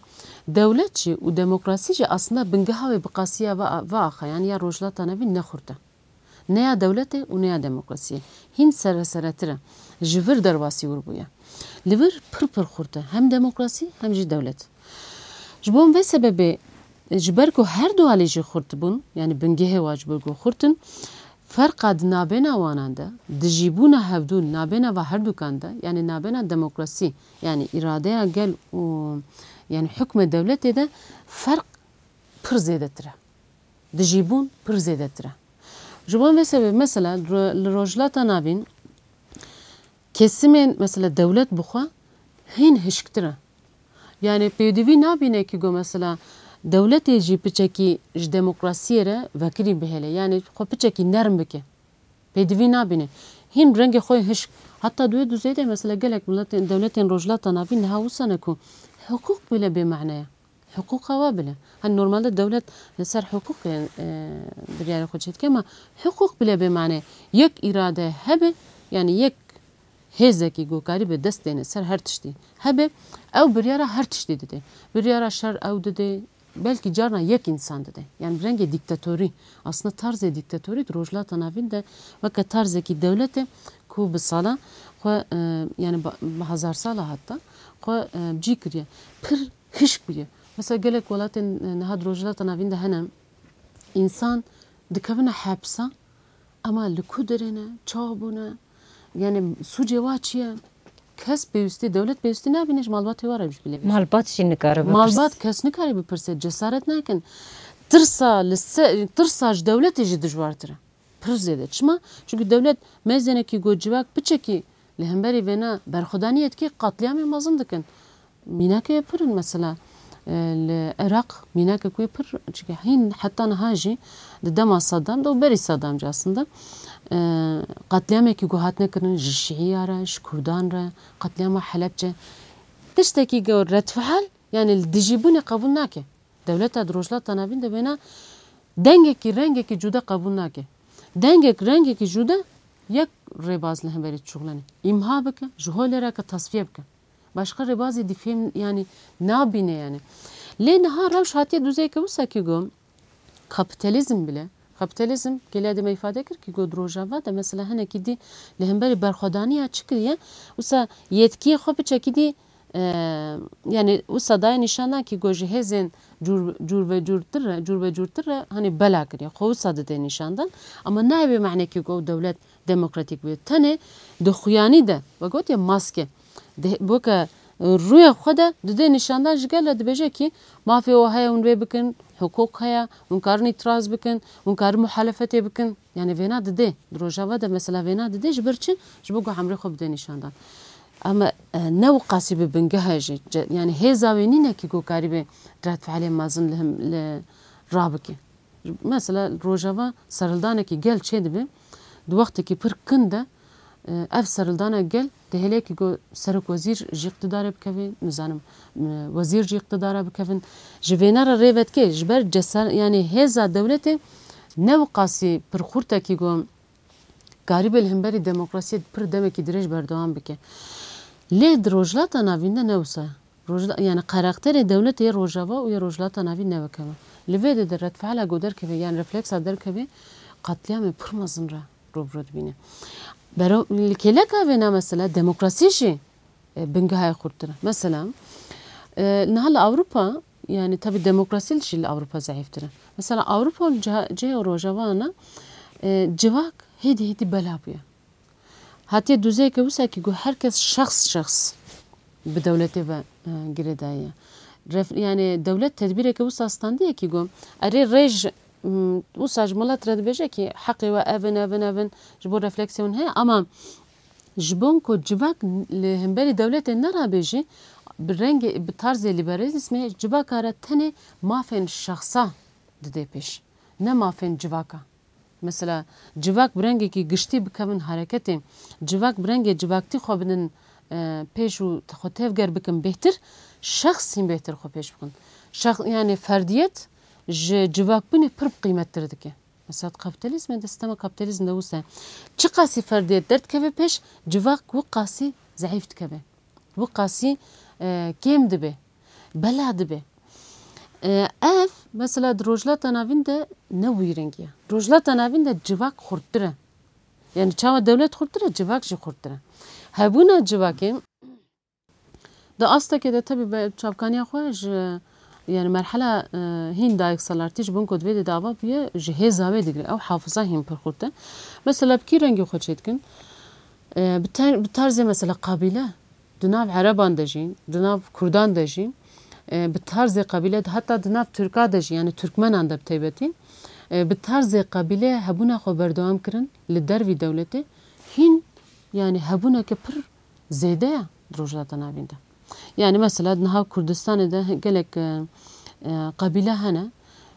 dewlet jî û demokrasî jî aslında bingeha wê bi qasiya va, va axa, yani ya Rojhilata Navîn ne xurt e. Ne ya dewletê û ne ya demokrasiyê. Hîn sereseretir e. Ji vir derbasî wir bûye. Li vir pir pir xurt e. Hem demokrasî hem jî dewlet. Ji bo vê sebebê, ji ber ku her du alî jî xurt bûn, yani bingehê wa ji ber ku xurt in, ferqa di nabêna wanan de, dijîbûna hevdû nabêna va herdukan de, yani nabêna demokrasî, yani îradeya gel û yani hukmê dewletê de ferq pir zêdetir e. Dijîbûn pir zêdetir e. Ji bo vê sebebê mesela ro-, li Rojhilata Navîn kesimên mesela dewlet bi xwe hîn hişktir e. Yani pêdivî nabîne ki go mesela dewletê jî piçekî ji demokrasiyê re vekirî bihêle. Yani xwe piçekî nerm bike. Pêdivî nabîne. Hîn rengê xwe hişk. Heta di wê duzê de mesela gelek miletên, dewletên Rojhilata Navîn niha wisa ne ku hiqûq bile bê mane ye. Hiqûqa wa bile. Hani normalde dewlet li ser hiqûqê, e, biryarê xwe çêdike, ama hiqûq bile bê mane. Yek îrade hebe, yani yek hêzekî ku karîbe dest dêne ser her tiştî hebe, ew biryara her tiştî dide. Biryara şer ew dide, belkî carna yek însan dide. Yani rengê dîktatorî, aslında tarzê dîktatorî di Rojhilata Navîn de weke tarzekî dewletê ku bi sala xwe, e, yani ba-, bi hazar sala hatta xwe, e, cî kiriye. Pir hişk bûye. Mesela gelek welatên, e, niha di Rojhilata Navîn de hene, însan dikevine hepsa, ama li ku derê ne, çawa bûne, yani sûcê wa çi ye? Kes pêwîstî, dewlet pêwîstî nabîne ji malbatê wa re jî bile bêje. Malbat jî nikare bipirse. Malbat kes nikare bipirse, cesaret nakin. Tirsa li se-, tirsa ji dewletê jî dijwartir e. Pir zêde. Çima? Çünkü dewlet mêzenekî got civak piçekî li hemberî vêna berxwedaniyê dikê, qetlîamê mezin dikin. Mînakê pir in mesela, e, li Iraq mînakek wê pir, çünkü hîn heta niha jî di dema Saddam de û berî Saddam jî aslında, e, qetlîamekî ku hatine kirin ji Şîiya re, ji Kurdan re, qetlîama Helebce. Tiştekî ku redfeal, yani li dijîbûnê qebûl nake. Dewleta di Rojhilata Navîn de wêna dengekî, rengekî cuda qebûl nake. Dengek, rengekî cuda yek rêbaz li hemberî dişuxlene. Îmha bike, ji holê re ke tasfiye bike. Başqa rêbazê dî fêm, yani nabîne yani. Lê niha rewş hatiye duzeyeke wisa ki got, kapitalizm bile, kapitalizm, gelê de me îfade kir ki got di Rojava de mesela hinekî dî li hemberî berxwedaniya çi kiriye, wisa yetkiyê xwe piçekî dî, e, yani wisa daye nîşandan ki got ji hêzên cûr, cûr ve cûrtir re, cûr ve cûrtir re hani bela kiriye. Xwe wisa dide nîşandan. Ama nayê bê mane ki got dewlet demokratîk bûye. Tenê di xuyanî de, we gotiye maske. Di, weke, rûyê xwe de dide nîşandan ji gel re dibêje kî mafê we heye hûn vê bikin, hiqûq heye, hûn karin îtiraz bikin, hûn karin muhalefetê bikin. Yani vêna dide. Di Rojava de mesela vêna dide ji ber çi? Ji bo ku emrê xwe bide nîşandan. Ama, e, ne wiqasî bi bingeh e jî. Ce-, yani hêza wê nîne kî ku karîbe redfealê mezin li him, li rabike. Mesela Rojava serhildanekî gel çêdibe, di wextekî pir kin de, e, ev serhildana gel dihêle kî ku serokwezîr ji îqtidarê bikeve, nizanim, e, wezîr ji îqtidara bikevin. Ji vêne re rê vedike, ji ber cesar-, yani hêza dewletê ne wiqasî pir xurt e kî ku karîbe li hemberî demokrasiyê pir demekî dirêj berdewam bike. Lê di Rojhilata Navîn de ne wisa ye. Rojhila-, yani karakterê dewletê yê Rojava û yê Rojhilata Navîn ne wek hev e. Li vê de de redfeala ku derkeve, yani refleksa derkeve, qetlîamê pir mezin re rû bi rû dibîne. Bero-, li kêleka vêna mesela demokrasî jî, e, bingehê xurttir e. Mesela, e, niha li Ewropa, yani tabi demokrasî jî li Ewropa zeîftir e. Mesela Ewropa û ciha-, cihê Rojavana, e, civak hêdî hêdî bela bûye. Hatiye dûzeyeke wisa kî ku her kes şexs şexs bi dewletê ve, e, girêdayî ye. Ref-, yani dewlet tedbîreke wisa standiye kî ku erê rêj, m, wisa ji milet re dibêje kî heqê we ev in, ev in, ev in, ji bo refleksiyê hûn heye, ama ji bo ku civak li hemberî dewletê nerabêjî, bi rengê, bi tarzê lîberalîzmê civaka re tenê mafên şexsa dide pêş, ne mafên civaka. Mesela civak bi rengekî giştî bikevin hereketê, civak bi rengê civaktî xwe bidin, e, pêş û xwe tevger bikin bêhtir, şexs hîn bêhtir xwe pêş bixin. Şex-, yani ferdiyet ji civakbûnê pir bi qîmettir dike. Mesela di kapîtalîzmê de, sistema kapîtalîzm de wisa ye. Çiqasî ferdiyet derdikeve pêş, civak wiqasî zeîf dikeve. Wiqasî, e, kêm dibe. Bela dibe. E, ev, mesela di Rojhilata Navîn de ne wî rengî ye. Rojhilata Navîn de civak xurttir e. Yani çawa dewlet xurttir e, civak jî xurttir e. Hebûna civakê di astekê de tebî be çavkaniya xwe ji, yani merhela, e, hîn dayik salartî ji bo ku di vê de dava bûye, ji hêza wê digre. Ew hafiza hîn pir xurt e. Mesela bi kî rengî xwe çêdikin? E, bi ter-, bi tarzê mesela qabîle. Di nav Ereban de jî, di nav Kurdan de jî, e, bi tarzê qebîle, heta di nav Tirka de jî, yani Tirkmenan de bi taybetî, e, bi tarzê qebîle hebûna xwe berdewam kirin li dervî dewletê, hîn, yani hebûneke pir zêde ye di Rojhilata Navîn de. Yani mesela niha Kurdistanê de gelek, e, e, qebîle hene,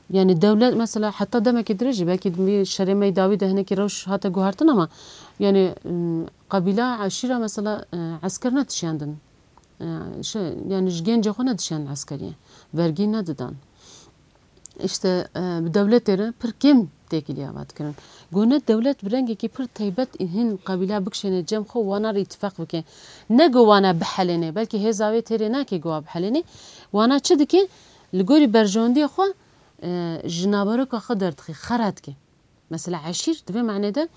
yani dewlet mesela heta demekî dirêj jî, belkî di vî şerê me yî dawî de hinekî rewş hate guhertin ama yani, m, qebîla, eşîra mesela, e, esker nedişiyandin. E, şey, yani ji gencê xwe nedişiyandin eskeriyê. Vergî nedidan. İşte, e, bi dewletê re pir kêm têkilî ava dikirin. Go ne dewlet bi rengekî pir taybet hîn qebîla bikişêne cem xwe, wana re îtifaq bike. Ne go wana bihelêne, belkî hêza wê têrê nake go wa bihelêne. Wana çi dike? Li gorî berjewendiya xwe, e, ji naveroka xwe derdixî, xera dike. Mesela eşîr, di vê manê de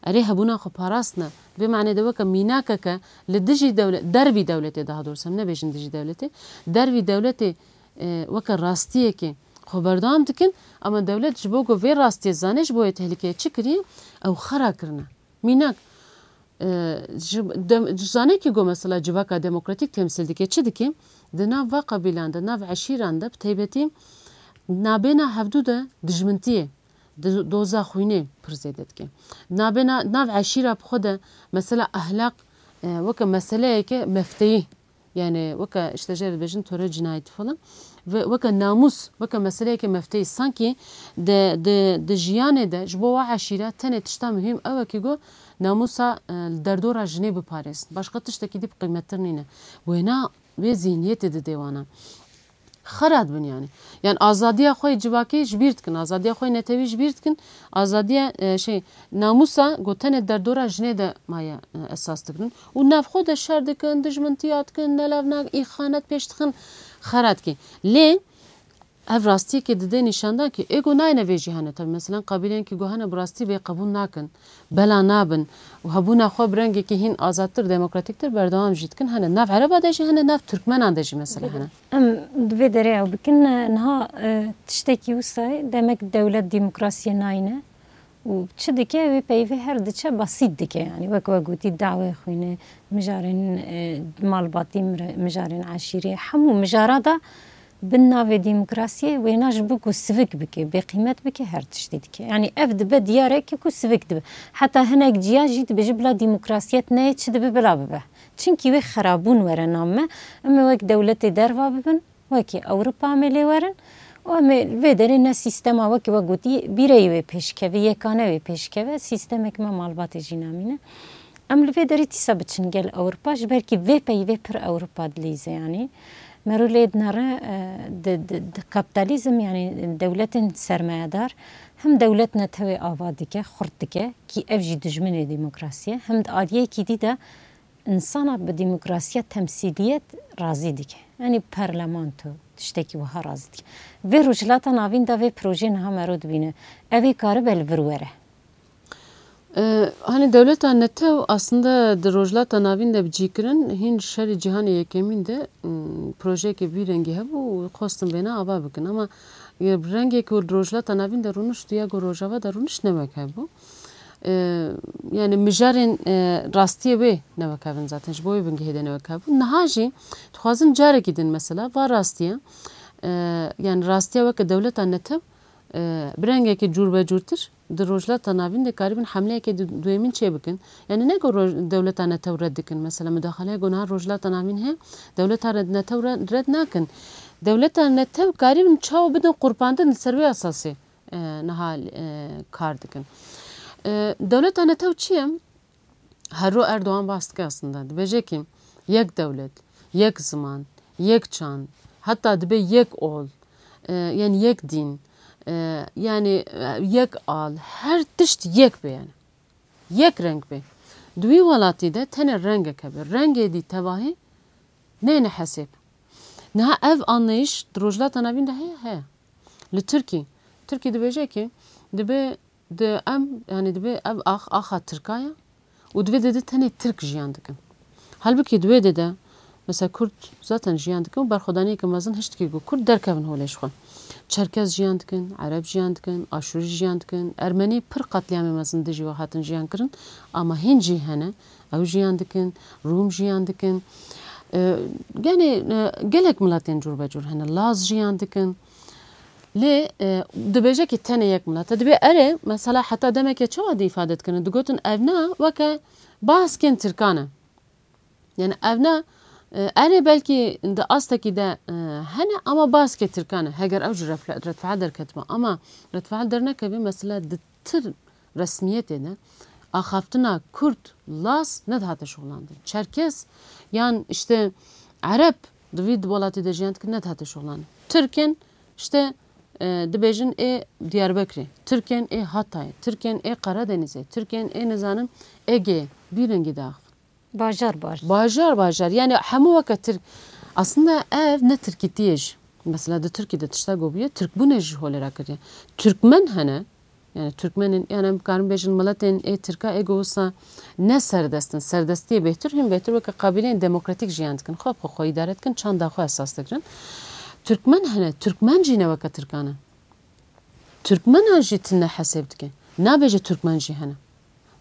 erê hebûna xwe parastine. Di vê manê de weke mînakeke li dijî dewle-, dervî dewletê, daha doğrusu, em nebêjin dijî dewletê, dervî dewletê, e, weke rastiyekê xwe berdewam dikin, ama dewlet ji bo ku vê rastiyê zane ji bo wê tehlikeyê çi kiriye, ew xera kirine. Mînak, e, ji dem-, ji zanekî ku mesela civaka demokratîk temsîl dike, çi dike? Di nav va qebîlan de, nav eşîran de, bi taybetî nabêna hevdû de dijmintiyê, di-, doza xwînê pir zêde dike. Nabêna, nav eşîra bi xwe de mesela ehlaq, e, weke meseleyeke mefteyî, yani weke işte jê re dibêjin tore cinayeti falan. Ve weke namûs, weke meseleyeke mefteyî, sankî di, di, di jiyanê de ji bo wa eşîra tenê tişta muhîm ew e kî go namûsa, e, li derdora jinê biparêzin. Başqa tiştekî dî bi qîmettir nîne. Wêna wê zîhniyetê didê wana. Xera dibin yani. Yani azadiya xwe yê civakî ji bîr dikin, azadiya xwe yê netewî ji bîr dikin, azadiya, e, şey, namûsa ku tenê derdora jinê de maye, e, esas digirin. Û navxwe de şer dikin, dijmintiya dikin, nelevnak, îxanet pêş dixin, xera dikî. Lê ev rastiyekê dide nîşandan kî ê ku nayne vê jî hene. Tabi, meselen, qabîlên kî ku hene bi rastî vê qebûl nakin. Bela nabin û hebûna xwe bi rengekî hîn azadtir, demokratîktir berdewam jî dikin hene. Nav Ereba de jî hene, nav Tirkmenan de jî mesela hene. Em di vê derê ew bikin, niha, e, tiştekî wisa ye, demek dewlet demokrasiyê nayne. û çi dike, wê peyvê her diçe basît dike. Yanî wek we gotî, dawê xwîne, mijarên, e, malbatî, mir-, mijarên eşîrê, hemû mijara da bin navê demokrasiyê wêna ji bo ku sivik bike, bêqîmet bike, her tiştî dike. Yanî ev dibe diyareke ku sivik dibe. Heta hinek ciya jî dibêje bila demokrasiyet neyê, çi dibe bila bibe. Çimkî wê xerabûn were nav me, em ê wek dewletê derva bibin, wekî Ewropa em ê lê werin û em ê li vê derê ne sîstema wekî we gotî bîreyî wê pêşkeve, yekane wê pêşkeve, sîstemek me malbatê jî namîne. Em li vê derê dîsa biçin gel Ewropa, ji ber kî vê peyvê pir Ewropa dilîze yanî. Mero lê dinere, e, di, di, di kapitalizm yanî dewletên sermayedar hem dewlet netewê ava dike, xurt dike, kî ev jî dijminê demokrasî ye, hem di aliyekî dî de insana bi demokrasiya temsîliyet razî dike. Yanî parlamento tiştekî wiha razî dike. Vê Rojhilata Navîn de vê projeyê niha mero dibîne. Ev ê karibe li vir were. E, hani dewleta netew aslında di Rojhilata Navîn de bi cî kirin, hîn şerê cîhanê yekemîn de, m, projeyeke vî rengî hebû û xwestin vêna ava bikin. Ama, e, rengê ku li Rojhilata Navîn de rûnişt û ya ku Rojava de rûnişt ne wek hebû. E, yani mijarên, e, rastiyê wê ne wek hev in zaten, ji bo wê bingehê de ne wek hev bûn. Niha jî dixwazin carekî din mesela va rastiye, e, yani rastiya weke dewleta netew, e, bi rengekî cûrbecûrtir di Rojhilata Navîn de karibin hemleyeke du-, duyemîn çê bikin. Yani ne ku roj-, dewleta netew red dikin, mesela mudaxaleya ku niha Rojhilata Navîn heye, dewleta red, netew re-, red nakin. Dewleta netew karibin çawa bidin qurbandin li ser wê esasê. E, niha, e, kar dikin. E, dewleta netew çi ye? Her ro Erdogan bas dike aslında. Dibêje ki yek dewlet, yek ziman, yek çand, hatta dibe yek ol, e, yani yek dîn, e, yani, e, yek al, her tişt yek be yani. Yek reng be. Di wî welatî de tenê rengek hebe. Rengê dî tevahî neyne hesêb. Niha ev anlayış di Rojhilata Navîn de heye? Heye. Li Tirkî, Tirkî dibêje ki dibe di em, yani dibe ev ax, axa Tirka ye û divê di, di tenê Tirk jiyan dikin. Halbukî di wê de de, mesela Kurd zaten jiyan dikin û berxwedaniyeke mezin hişt dike ku Kurd derkevin holê ji xwe. Çerkez jiyan dikin, Ereb jiyan dikin, Aşûrî jiyan dikin, Ermenî pir qetlîamê mezin dijî we hatin jiyan kirin, ama hîn jî hene, ew jiyan dikin, Rûm jiyan dikin. E, yani, e, gelek miletên cûrbecûr hene, Laz jiyan dikin. Lê, e, dibêje ki tenê yek milet e. Dibê erê, mesela heta demeke çawa dî îfade dikirin? Digotin ev ne weke baskên Tirkan e. Yani ev ne, e, erê belkî di astekî de, e, hene ama baskê Tirkan e. Heger ew ji refle-, redfeal derketibe. Ama redfeal dernekeve, mesela di tir resmiyetê de axaftina Kurd, Laz nedihate şixulandin. Çerkez yan işte Ereb di vî welatê de jiyan dikin nedihate şixulandin. Tirkên işte, e, dibêjin ê Diyarbekirê, Tirkên ê Hatayê, Tirkên ê Karadenizê, Tirkên ê nizanim Egeyê, vî rengî diaxivin. Bajar bajar. Bajar, yani hemû weke Tirk. Aslında ev ne Tirkîtiyê jî. Mesela di Tirkî de tişta ku bûye, Tirkbûnê jî holê rakiriye. Türkmen hene, yani Türkmenên, yani em karin bêjin miletên ê Tirka ê ku wisa ne serdest in, serdestiyê bêhtir, hîn bêhtir weke qabîleyên demokratîk jiyan dikin, xwe bi xwe îdare dikin, çanda xwe esas digirin. Türkmen hene, Türkmen jî ne weke Tirkan e. Türkmenan jî tune hesêb dike. Nabêje Türkmen jî hene.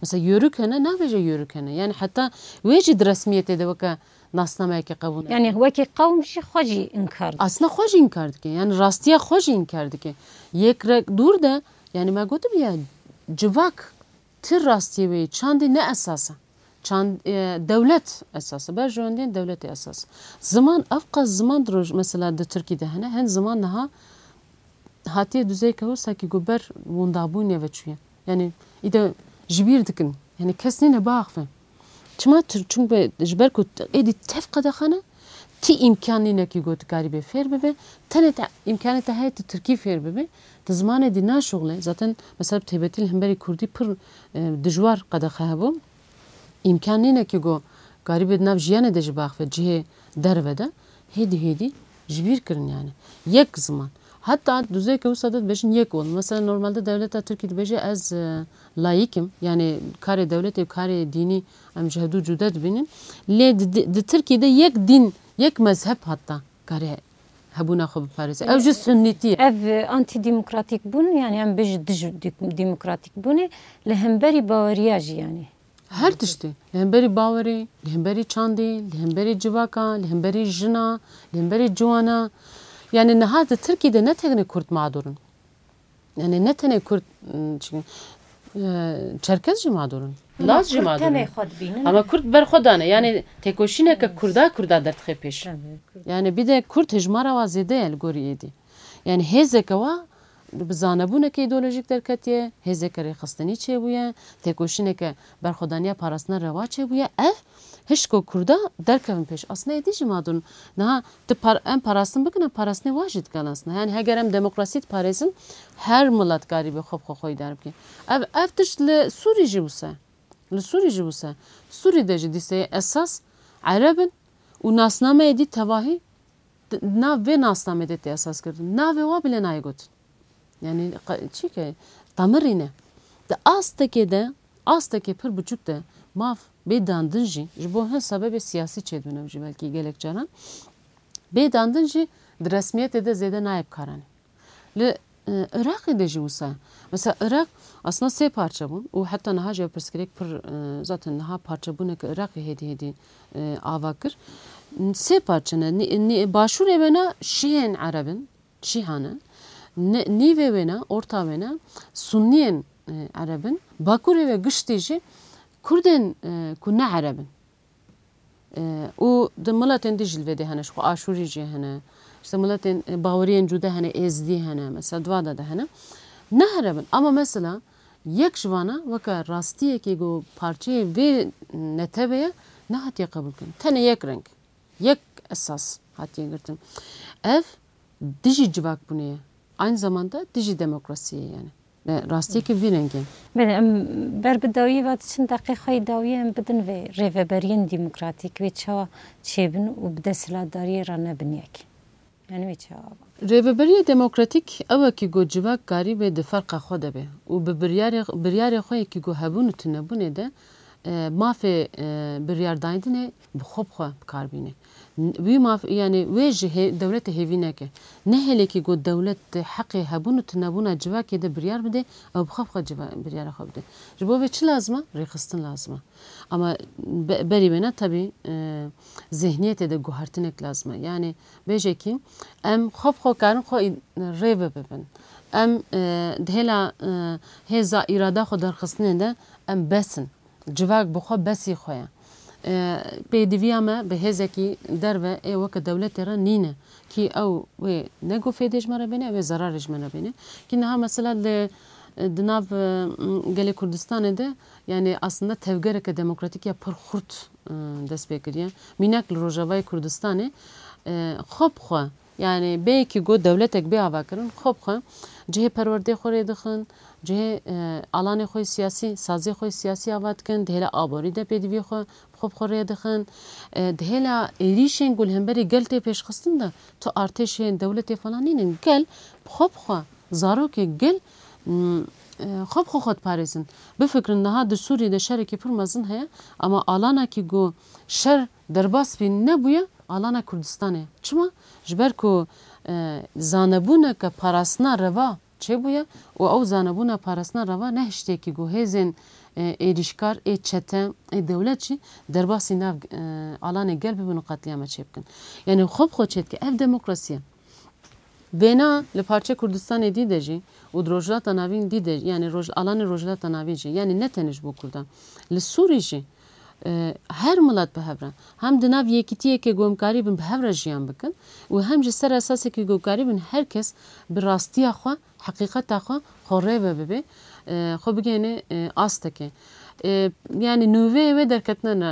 Mesela Yörük hene, nabêje Yörük hene. Yani heta wê jî di resmiyetê de weke nasnameyeke qebûl nake. Yani wekî qewm jî xwe jî inkar dike. Aslında xwe jî inkar dike. Yani rastiya xwe jî inkar dike. Yek rek dûr de, yani me gotibiye, civak tir rastiyê wê çandî ne esas e. Çand, e, dewlet esas e. Berjewendiyên dewletê esas e. Ziman, ev qas ziman di roj-, mesela di Tirkî de hene. Hin ziman niha hatiye duzeyke wisa ki ku ber windabûnê ve çûye. Yani îde ji bîr dikin. Yani kes nîne biaxive. Çima Tir-, çunke ji ber ku êdî tev qedexe ne, ti îmkan nîne ki ku tu karî bê fêr bibe. Tenê te îmkanê te heye tu tirkî fêr bibe. Tu zimanê dî naşuxle. Zaten mesela bi taybetî li hemberî kurdî pir, e, dijwar qedexe hebû. Îmkan nîne ki ku karî bê di nav jiyanê de jî biaxive, cihê derve de. Hêdî hêdî ji bîr kirin yani. Yek ziman. Heta duzeyeke wisa de dibêjin yek ol. Mesela normalde dewleta Tirkî dibêje ez, e, layîk im. Yani karê dewletê û karê dînî em ji hevdû cude dibînin. Lê di, di, di Tirkî de yek dîn, yek mezheb hatta kare hebûna xwe biparêze. Ew jî sunnîtî ye. Ev antîdemokratîk bûn, yanî em bêjin dij demokratîk bûnê li hemberî baweriya jî yanî. Her tiştî. Li hemberî bawerî, li hemberî çandî, li hemberî civaka, li hemberî jina, li hemberî ciwana. Yanî niha di Tirkî de ne tenê Kurd mağdur in. Yanî ne tenê Kurd, ım, çi-, e, Çerkez jî mağdur in. Laz jî mağdur in. Tenê xwe dibînin. Ama Kurd ber xwe dane. Yanî têkoşîneke Kurda Kurda derdixe pêş. Yanî bir de Kurd hejmara wa zêde ye li gorî êdî. Yanî hêzeke wa bi zanebûneke îdeolojîk derketiye, hêzeke rêxistinî çêbûye, têkoşîneke berxwedaniya parastina rewa çêbûye. Ev hişko Kurda derkevin pêş. Aslında êdî jî mağdur in. Niha tu par-, em parastin bikin, em parastinê wa jî dikin aslında. Yanî heger em demokrasî diparêzin, her milet karî be xwe bi xwe xweyî derbike. Ev, ev tişt li Sûrî jî wisa. Li Sûrî jî wisa. Sûrî de jî dîseyê esas Ereb in û nasnameyê dî tevahî di nav vê nasnamê de tê esas kirin. Navê wa bile nayê gotin. Yanî qe-, çi ke, temirî ne. Di astekê de, astekê pir biçûk de maf bê dandin jî, ji bo hin sebebê siyasî çêdibin ew jî belkî gelek caran, bê dandin jî di resmiyetê de zêde nayê bikaranê. Li, e, Iraqê de jî wisa ye. Mesela Iraq aslında sê parçe bûn û heta niha jî ev pirsgirêk pir, e, zaten niha parçebûneke Iraqê hêdî hêdî, e, ava kir. Sê parçe ne, nî-, nî-, başûrê wêna şîhên Ereb in, şîha ne. Ne-, nîvê wêna, orta wêna, sunniyên, e, Ereb in. Bakurê ve giştî jî Kurdên, e, ku ne Ereb in. E, û di miletên dî jî li vê dê hene, ji xwe Aşûrî jî hene. İşte miletên, e, baweriyên cude hene, Êzdî hene, mesela di va de de hene. Ne Ereb in. Ama mesela yek ji vana weke rastiyekê ku parçeyê vê netewê ye, nehatiye qebûlkirin. Tenê yek reng, yek esas hatiye girtin. Ev dijî civakbûnê ye. Aynı zamanda dijî demokrasiyê ye yani. Bi rastiyekî vî rengî. Belê, em ber bi dawiyê ve diçin, deqê xwe yê dawiyê em bidin vê rêveberiyên demokratîk, wê çawa çêbin û bi desthilatdariyê re nebin yek. Yani wê çawa? Rêveberiya demokratîk ew e ku civak karîbe di ferqa xwe de be û bi biryarê, biryarê xwe yekî ku hebûn û tunebûnê de, e, mafê, e, biryardayînê bi xwe bi xwe bi kar bîne. N-, wî maf, yani wê ji hê-, dewletê hêvî neke. Nehêle ku dewlet di heqê hebûn û tunebûna civakê de biryar bide, ew bi xwe bi xwe civa-, biryara xwe bide. Ji bo vê çi lazim e? Rêxistin lazim e. Ama be-, berî wêne tebî, e, zihniyetê de guhertinek lazim e. Yani bêje kî em xwe bi xwe karin xwe î-, rê ve bibin. Em, e, di hêla, e, hêza îrada xwe derxistinê de em bes in. Civak bi xwe besî xwe ye. E, pêdiviya me bi hêzekî derve ê weke dewletê re nîne. Kî ew wê ne ku fêdê ji me re bêne, ew ê zerarê ji me re bêne. Kî niha mesela li, di nav, e, gelê Kurdistanê de, yani aslında tevgereke demokratîk ya pir xurt, e, dest pê kiriye. Mînak li Rojavayê Kurdistanê, e, xwe bi xwe, yani bê yekî got dewletek bê avakirin, xwe bi xwe cihê perwerdê xwe rê dixin, cihê, e, alanê xwe siyasî, sazê xwe siyasî ava dikin, di hêla aborî de pêdiviyê xwe bi xwe bi xwe rê dixin. E, di hêla êrîşên ku li hemberî gel tê pêşxistin de, tu artêşê dewletê falan nînin. Gel bi xwe bi xwe, zarokê gel, m, e, xwe bi xwe xwe diparêzin. Bifikirin niha di Sûriyê de şerekî pir mezin heye, ama alana kî ku şer derbas bî nebûye, alana Kurdistanê. Çima? Ji ber ku, e, zanebûneke parastina reva çêbûye û ew zanebûna parastina reva nehiştê kî ku hêzên, e, êrîşkar, ê çete, ê dewlet jî derbasî nav, e, alanê gel bibin û qetlîama çêbikin. Yani xwe bi xwe çêdike. Ev demokrasî ye. Vêna li parçe Kurdistanê dî de jî û di Rojhilata Navîn dî de, yani roj-, alanê Rojhilata Navîn jî, yani ne tenê ji bo Kurdan. Li Sûrî jî, e, her milet bi hev re, hem di nav yekîtiyeke ku em karîbin bi hev re jiyan bikin û hem jî ser esasekî ku karîbin her kes bi rastiya xwe, heqîqeta xwe, xwe rê ve bibe, e, xwe bigihêne, e, astekê. E, yani nûveyê wê derketine ne,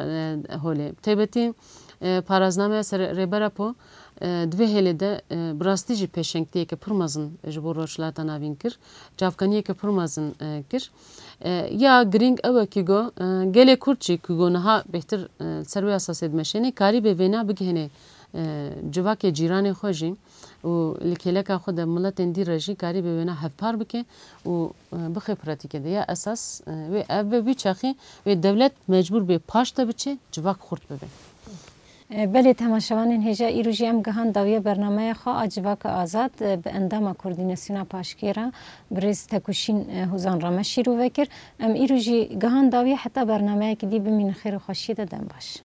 e, holê. Taybetî, e, paraznameya ser Rêber Apo, e, di vê hêlê de, e, bi rastî jî pêşengtiyeke pir mezin ji bo Rojhilata Navîn kir. Çavkaniyeke pir mezin, e, kir. E, ya girîng ew e ku go, e, gelê Kurd jî ku go niha bêhtir, e, ser wê esasê dimeşêne, karîbe vêna bigihêne, e, civakê cîranê xwe jî û li kêleka xwe de miletên dî re jî karîbe wêna hevpar bike û, e, bixe pratîkê de. Ya esas, e, wê ev be, wî çaxî wê dewlet mecbûr bê paş de biçe, civak xurt bibe. Belê, temaşevanên hêja, îro jî em gihan dawiya bernameya xwe a Civaka Azad bi endama Koordînasyona Paşkê re, birêz Tekuşîn Hozan re me şîrove kir. Em îro jî gihan dawiya, heta bernameyekî dî bimînin xêr û xweşiyê de, dem baş.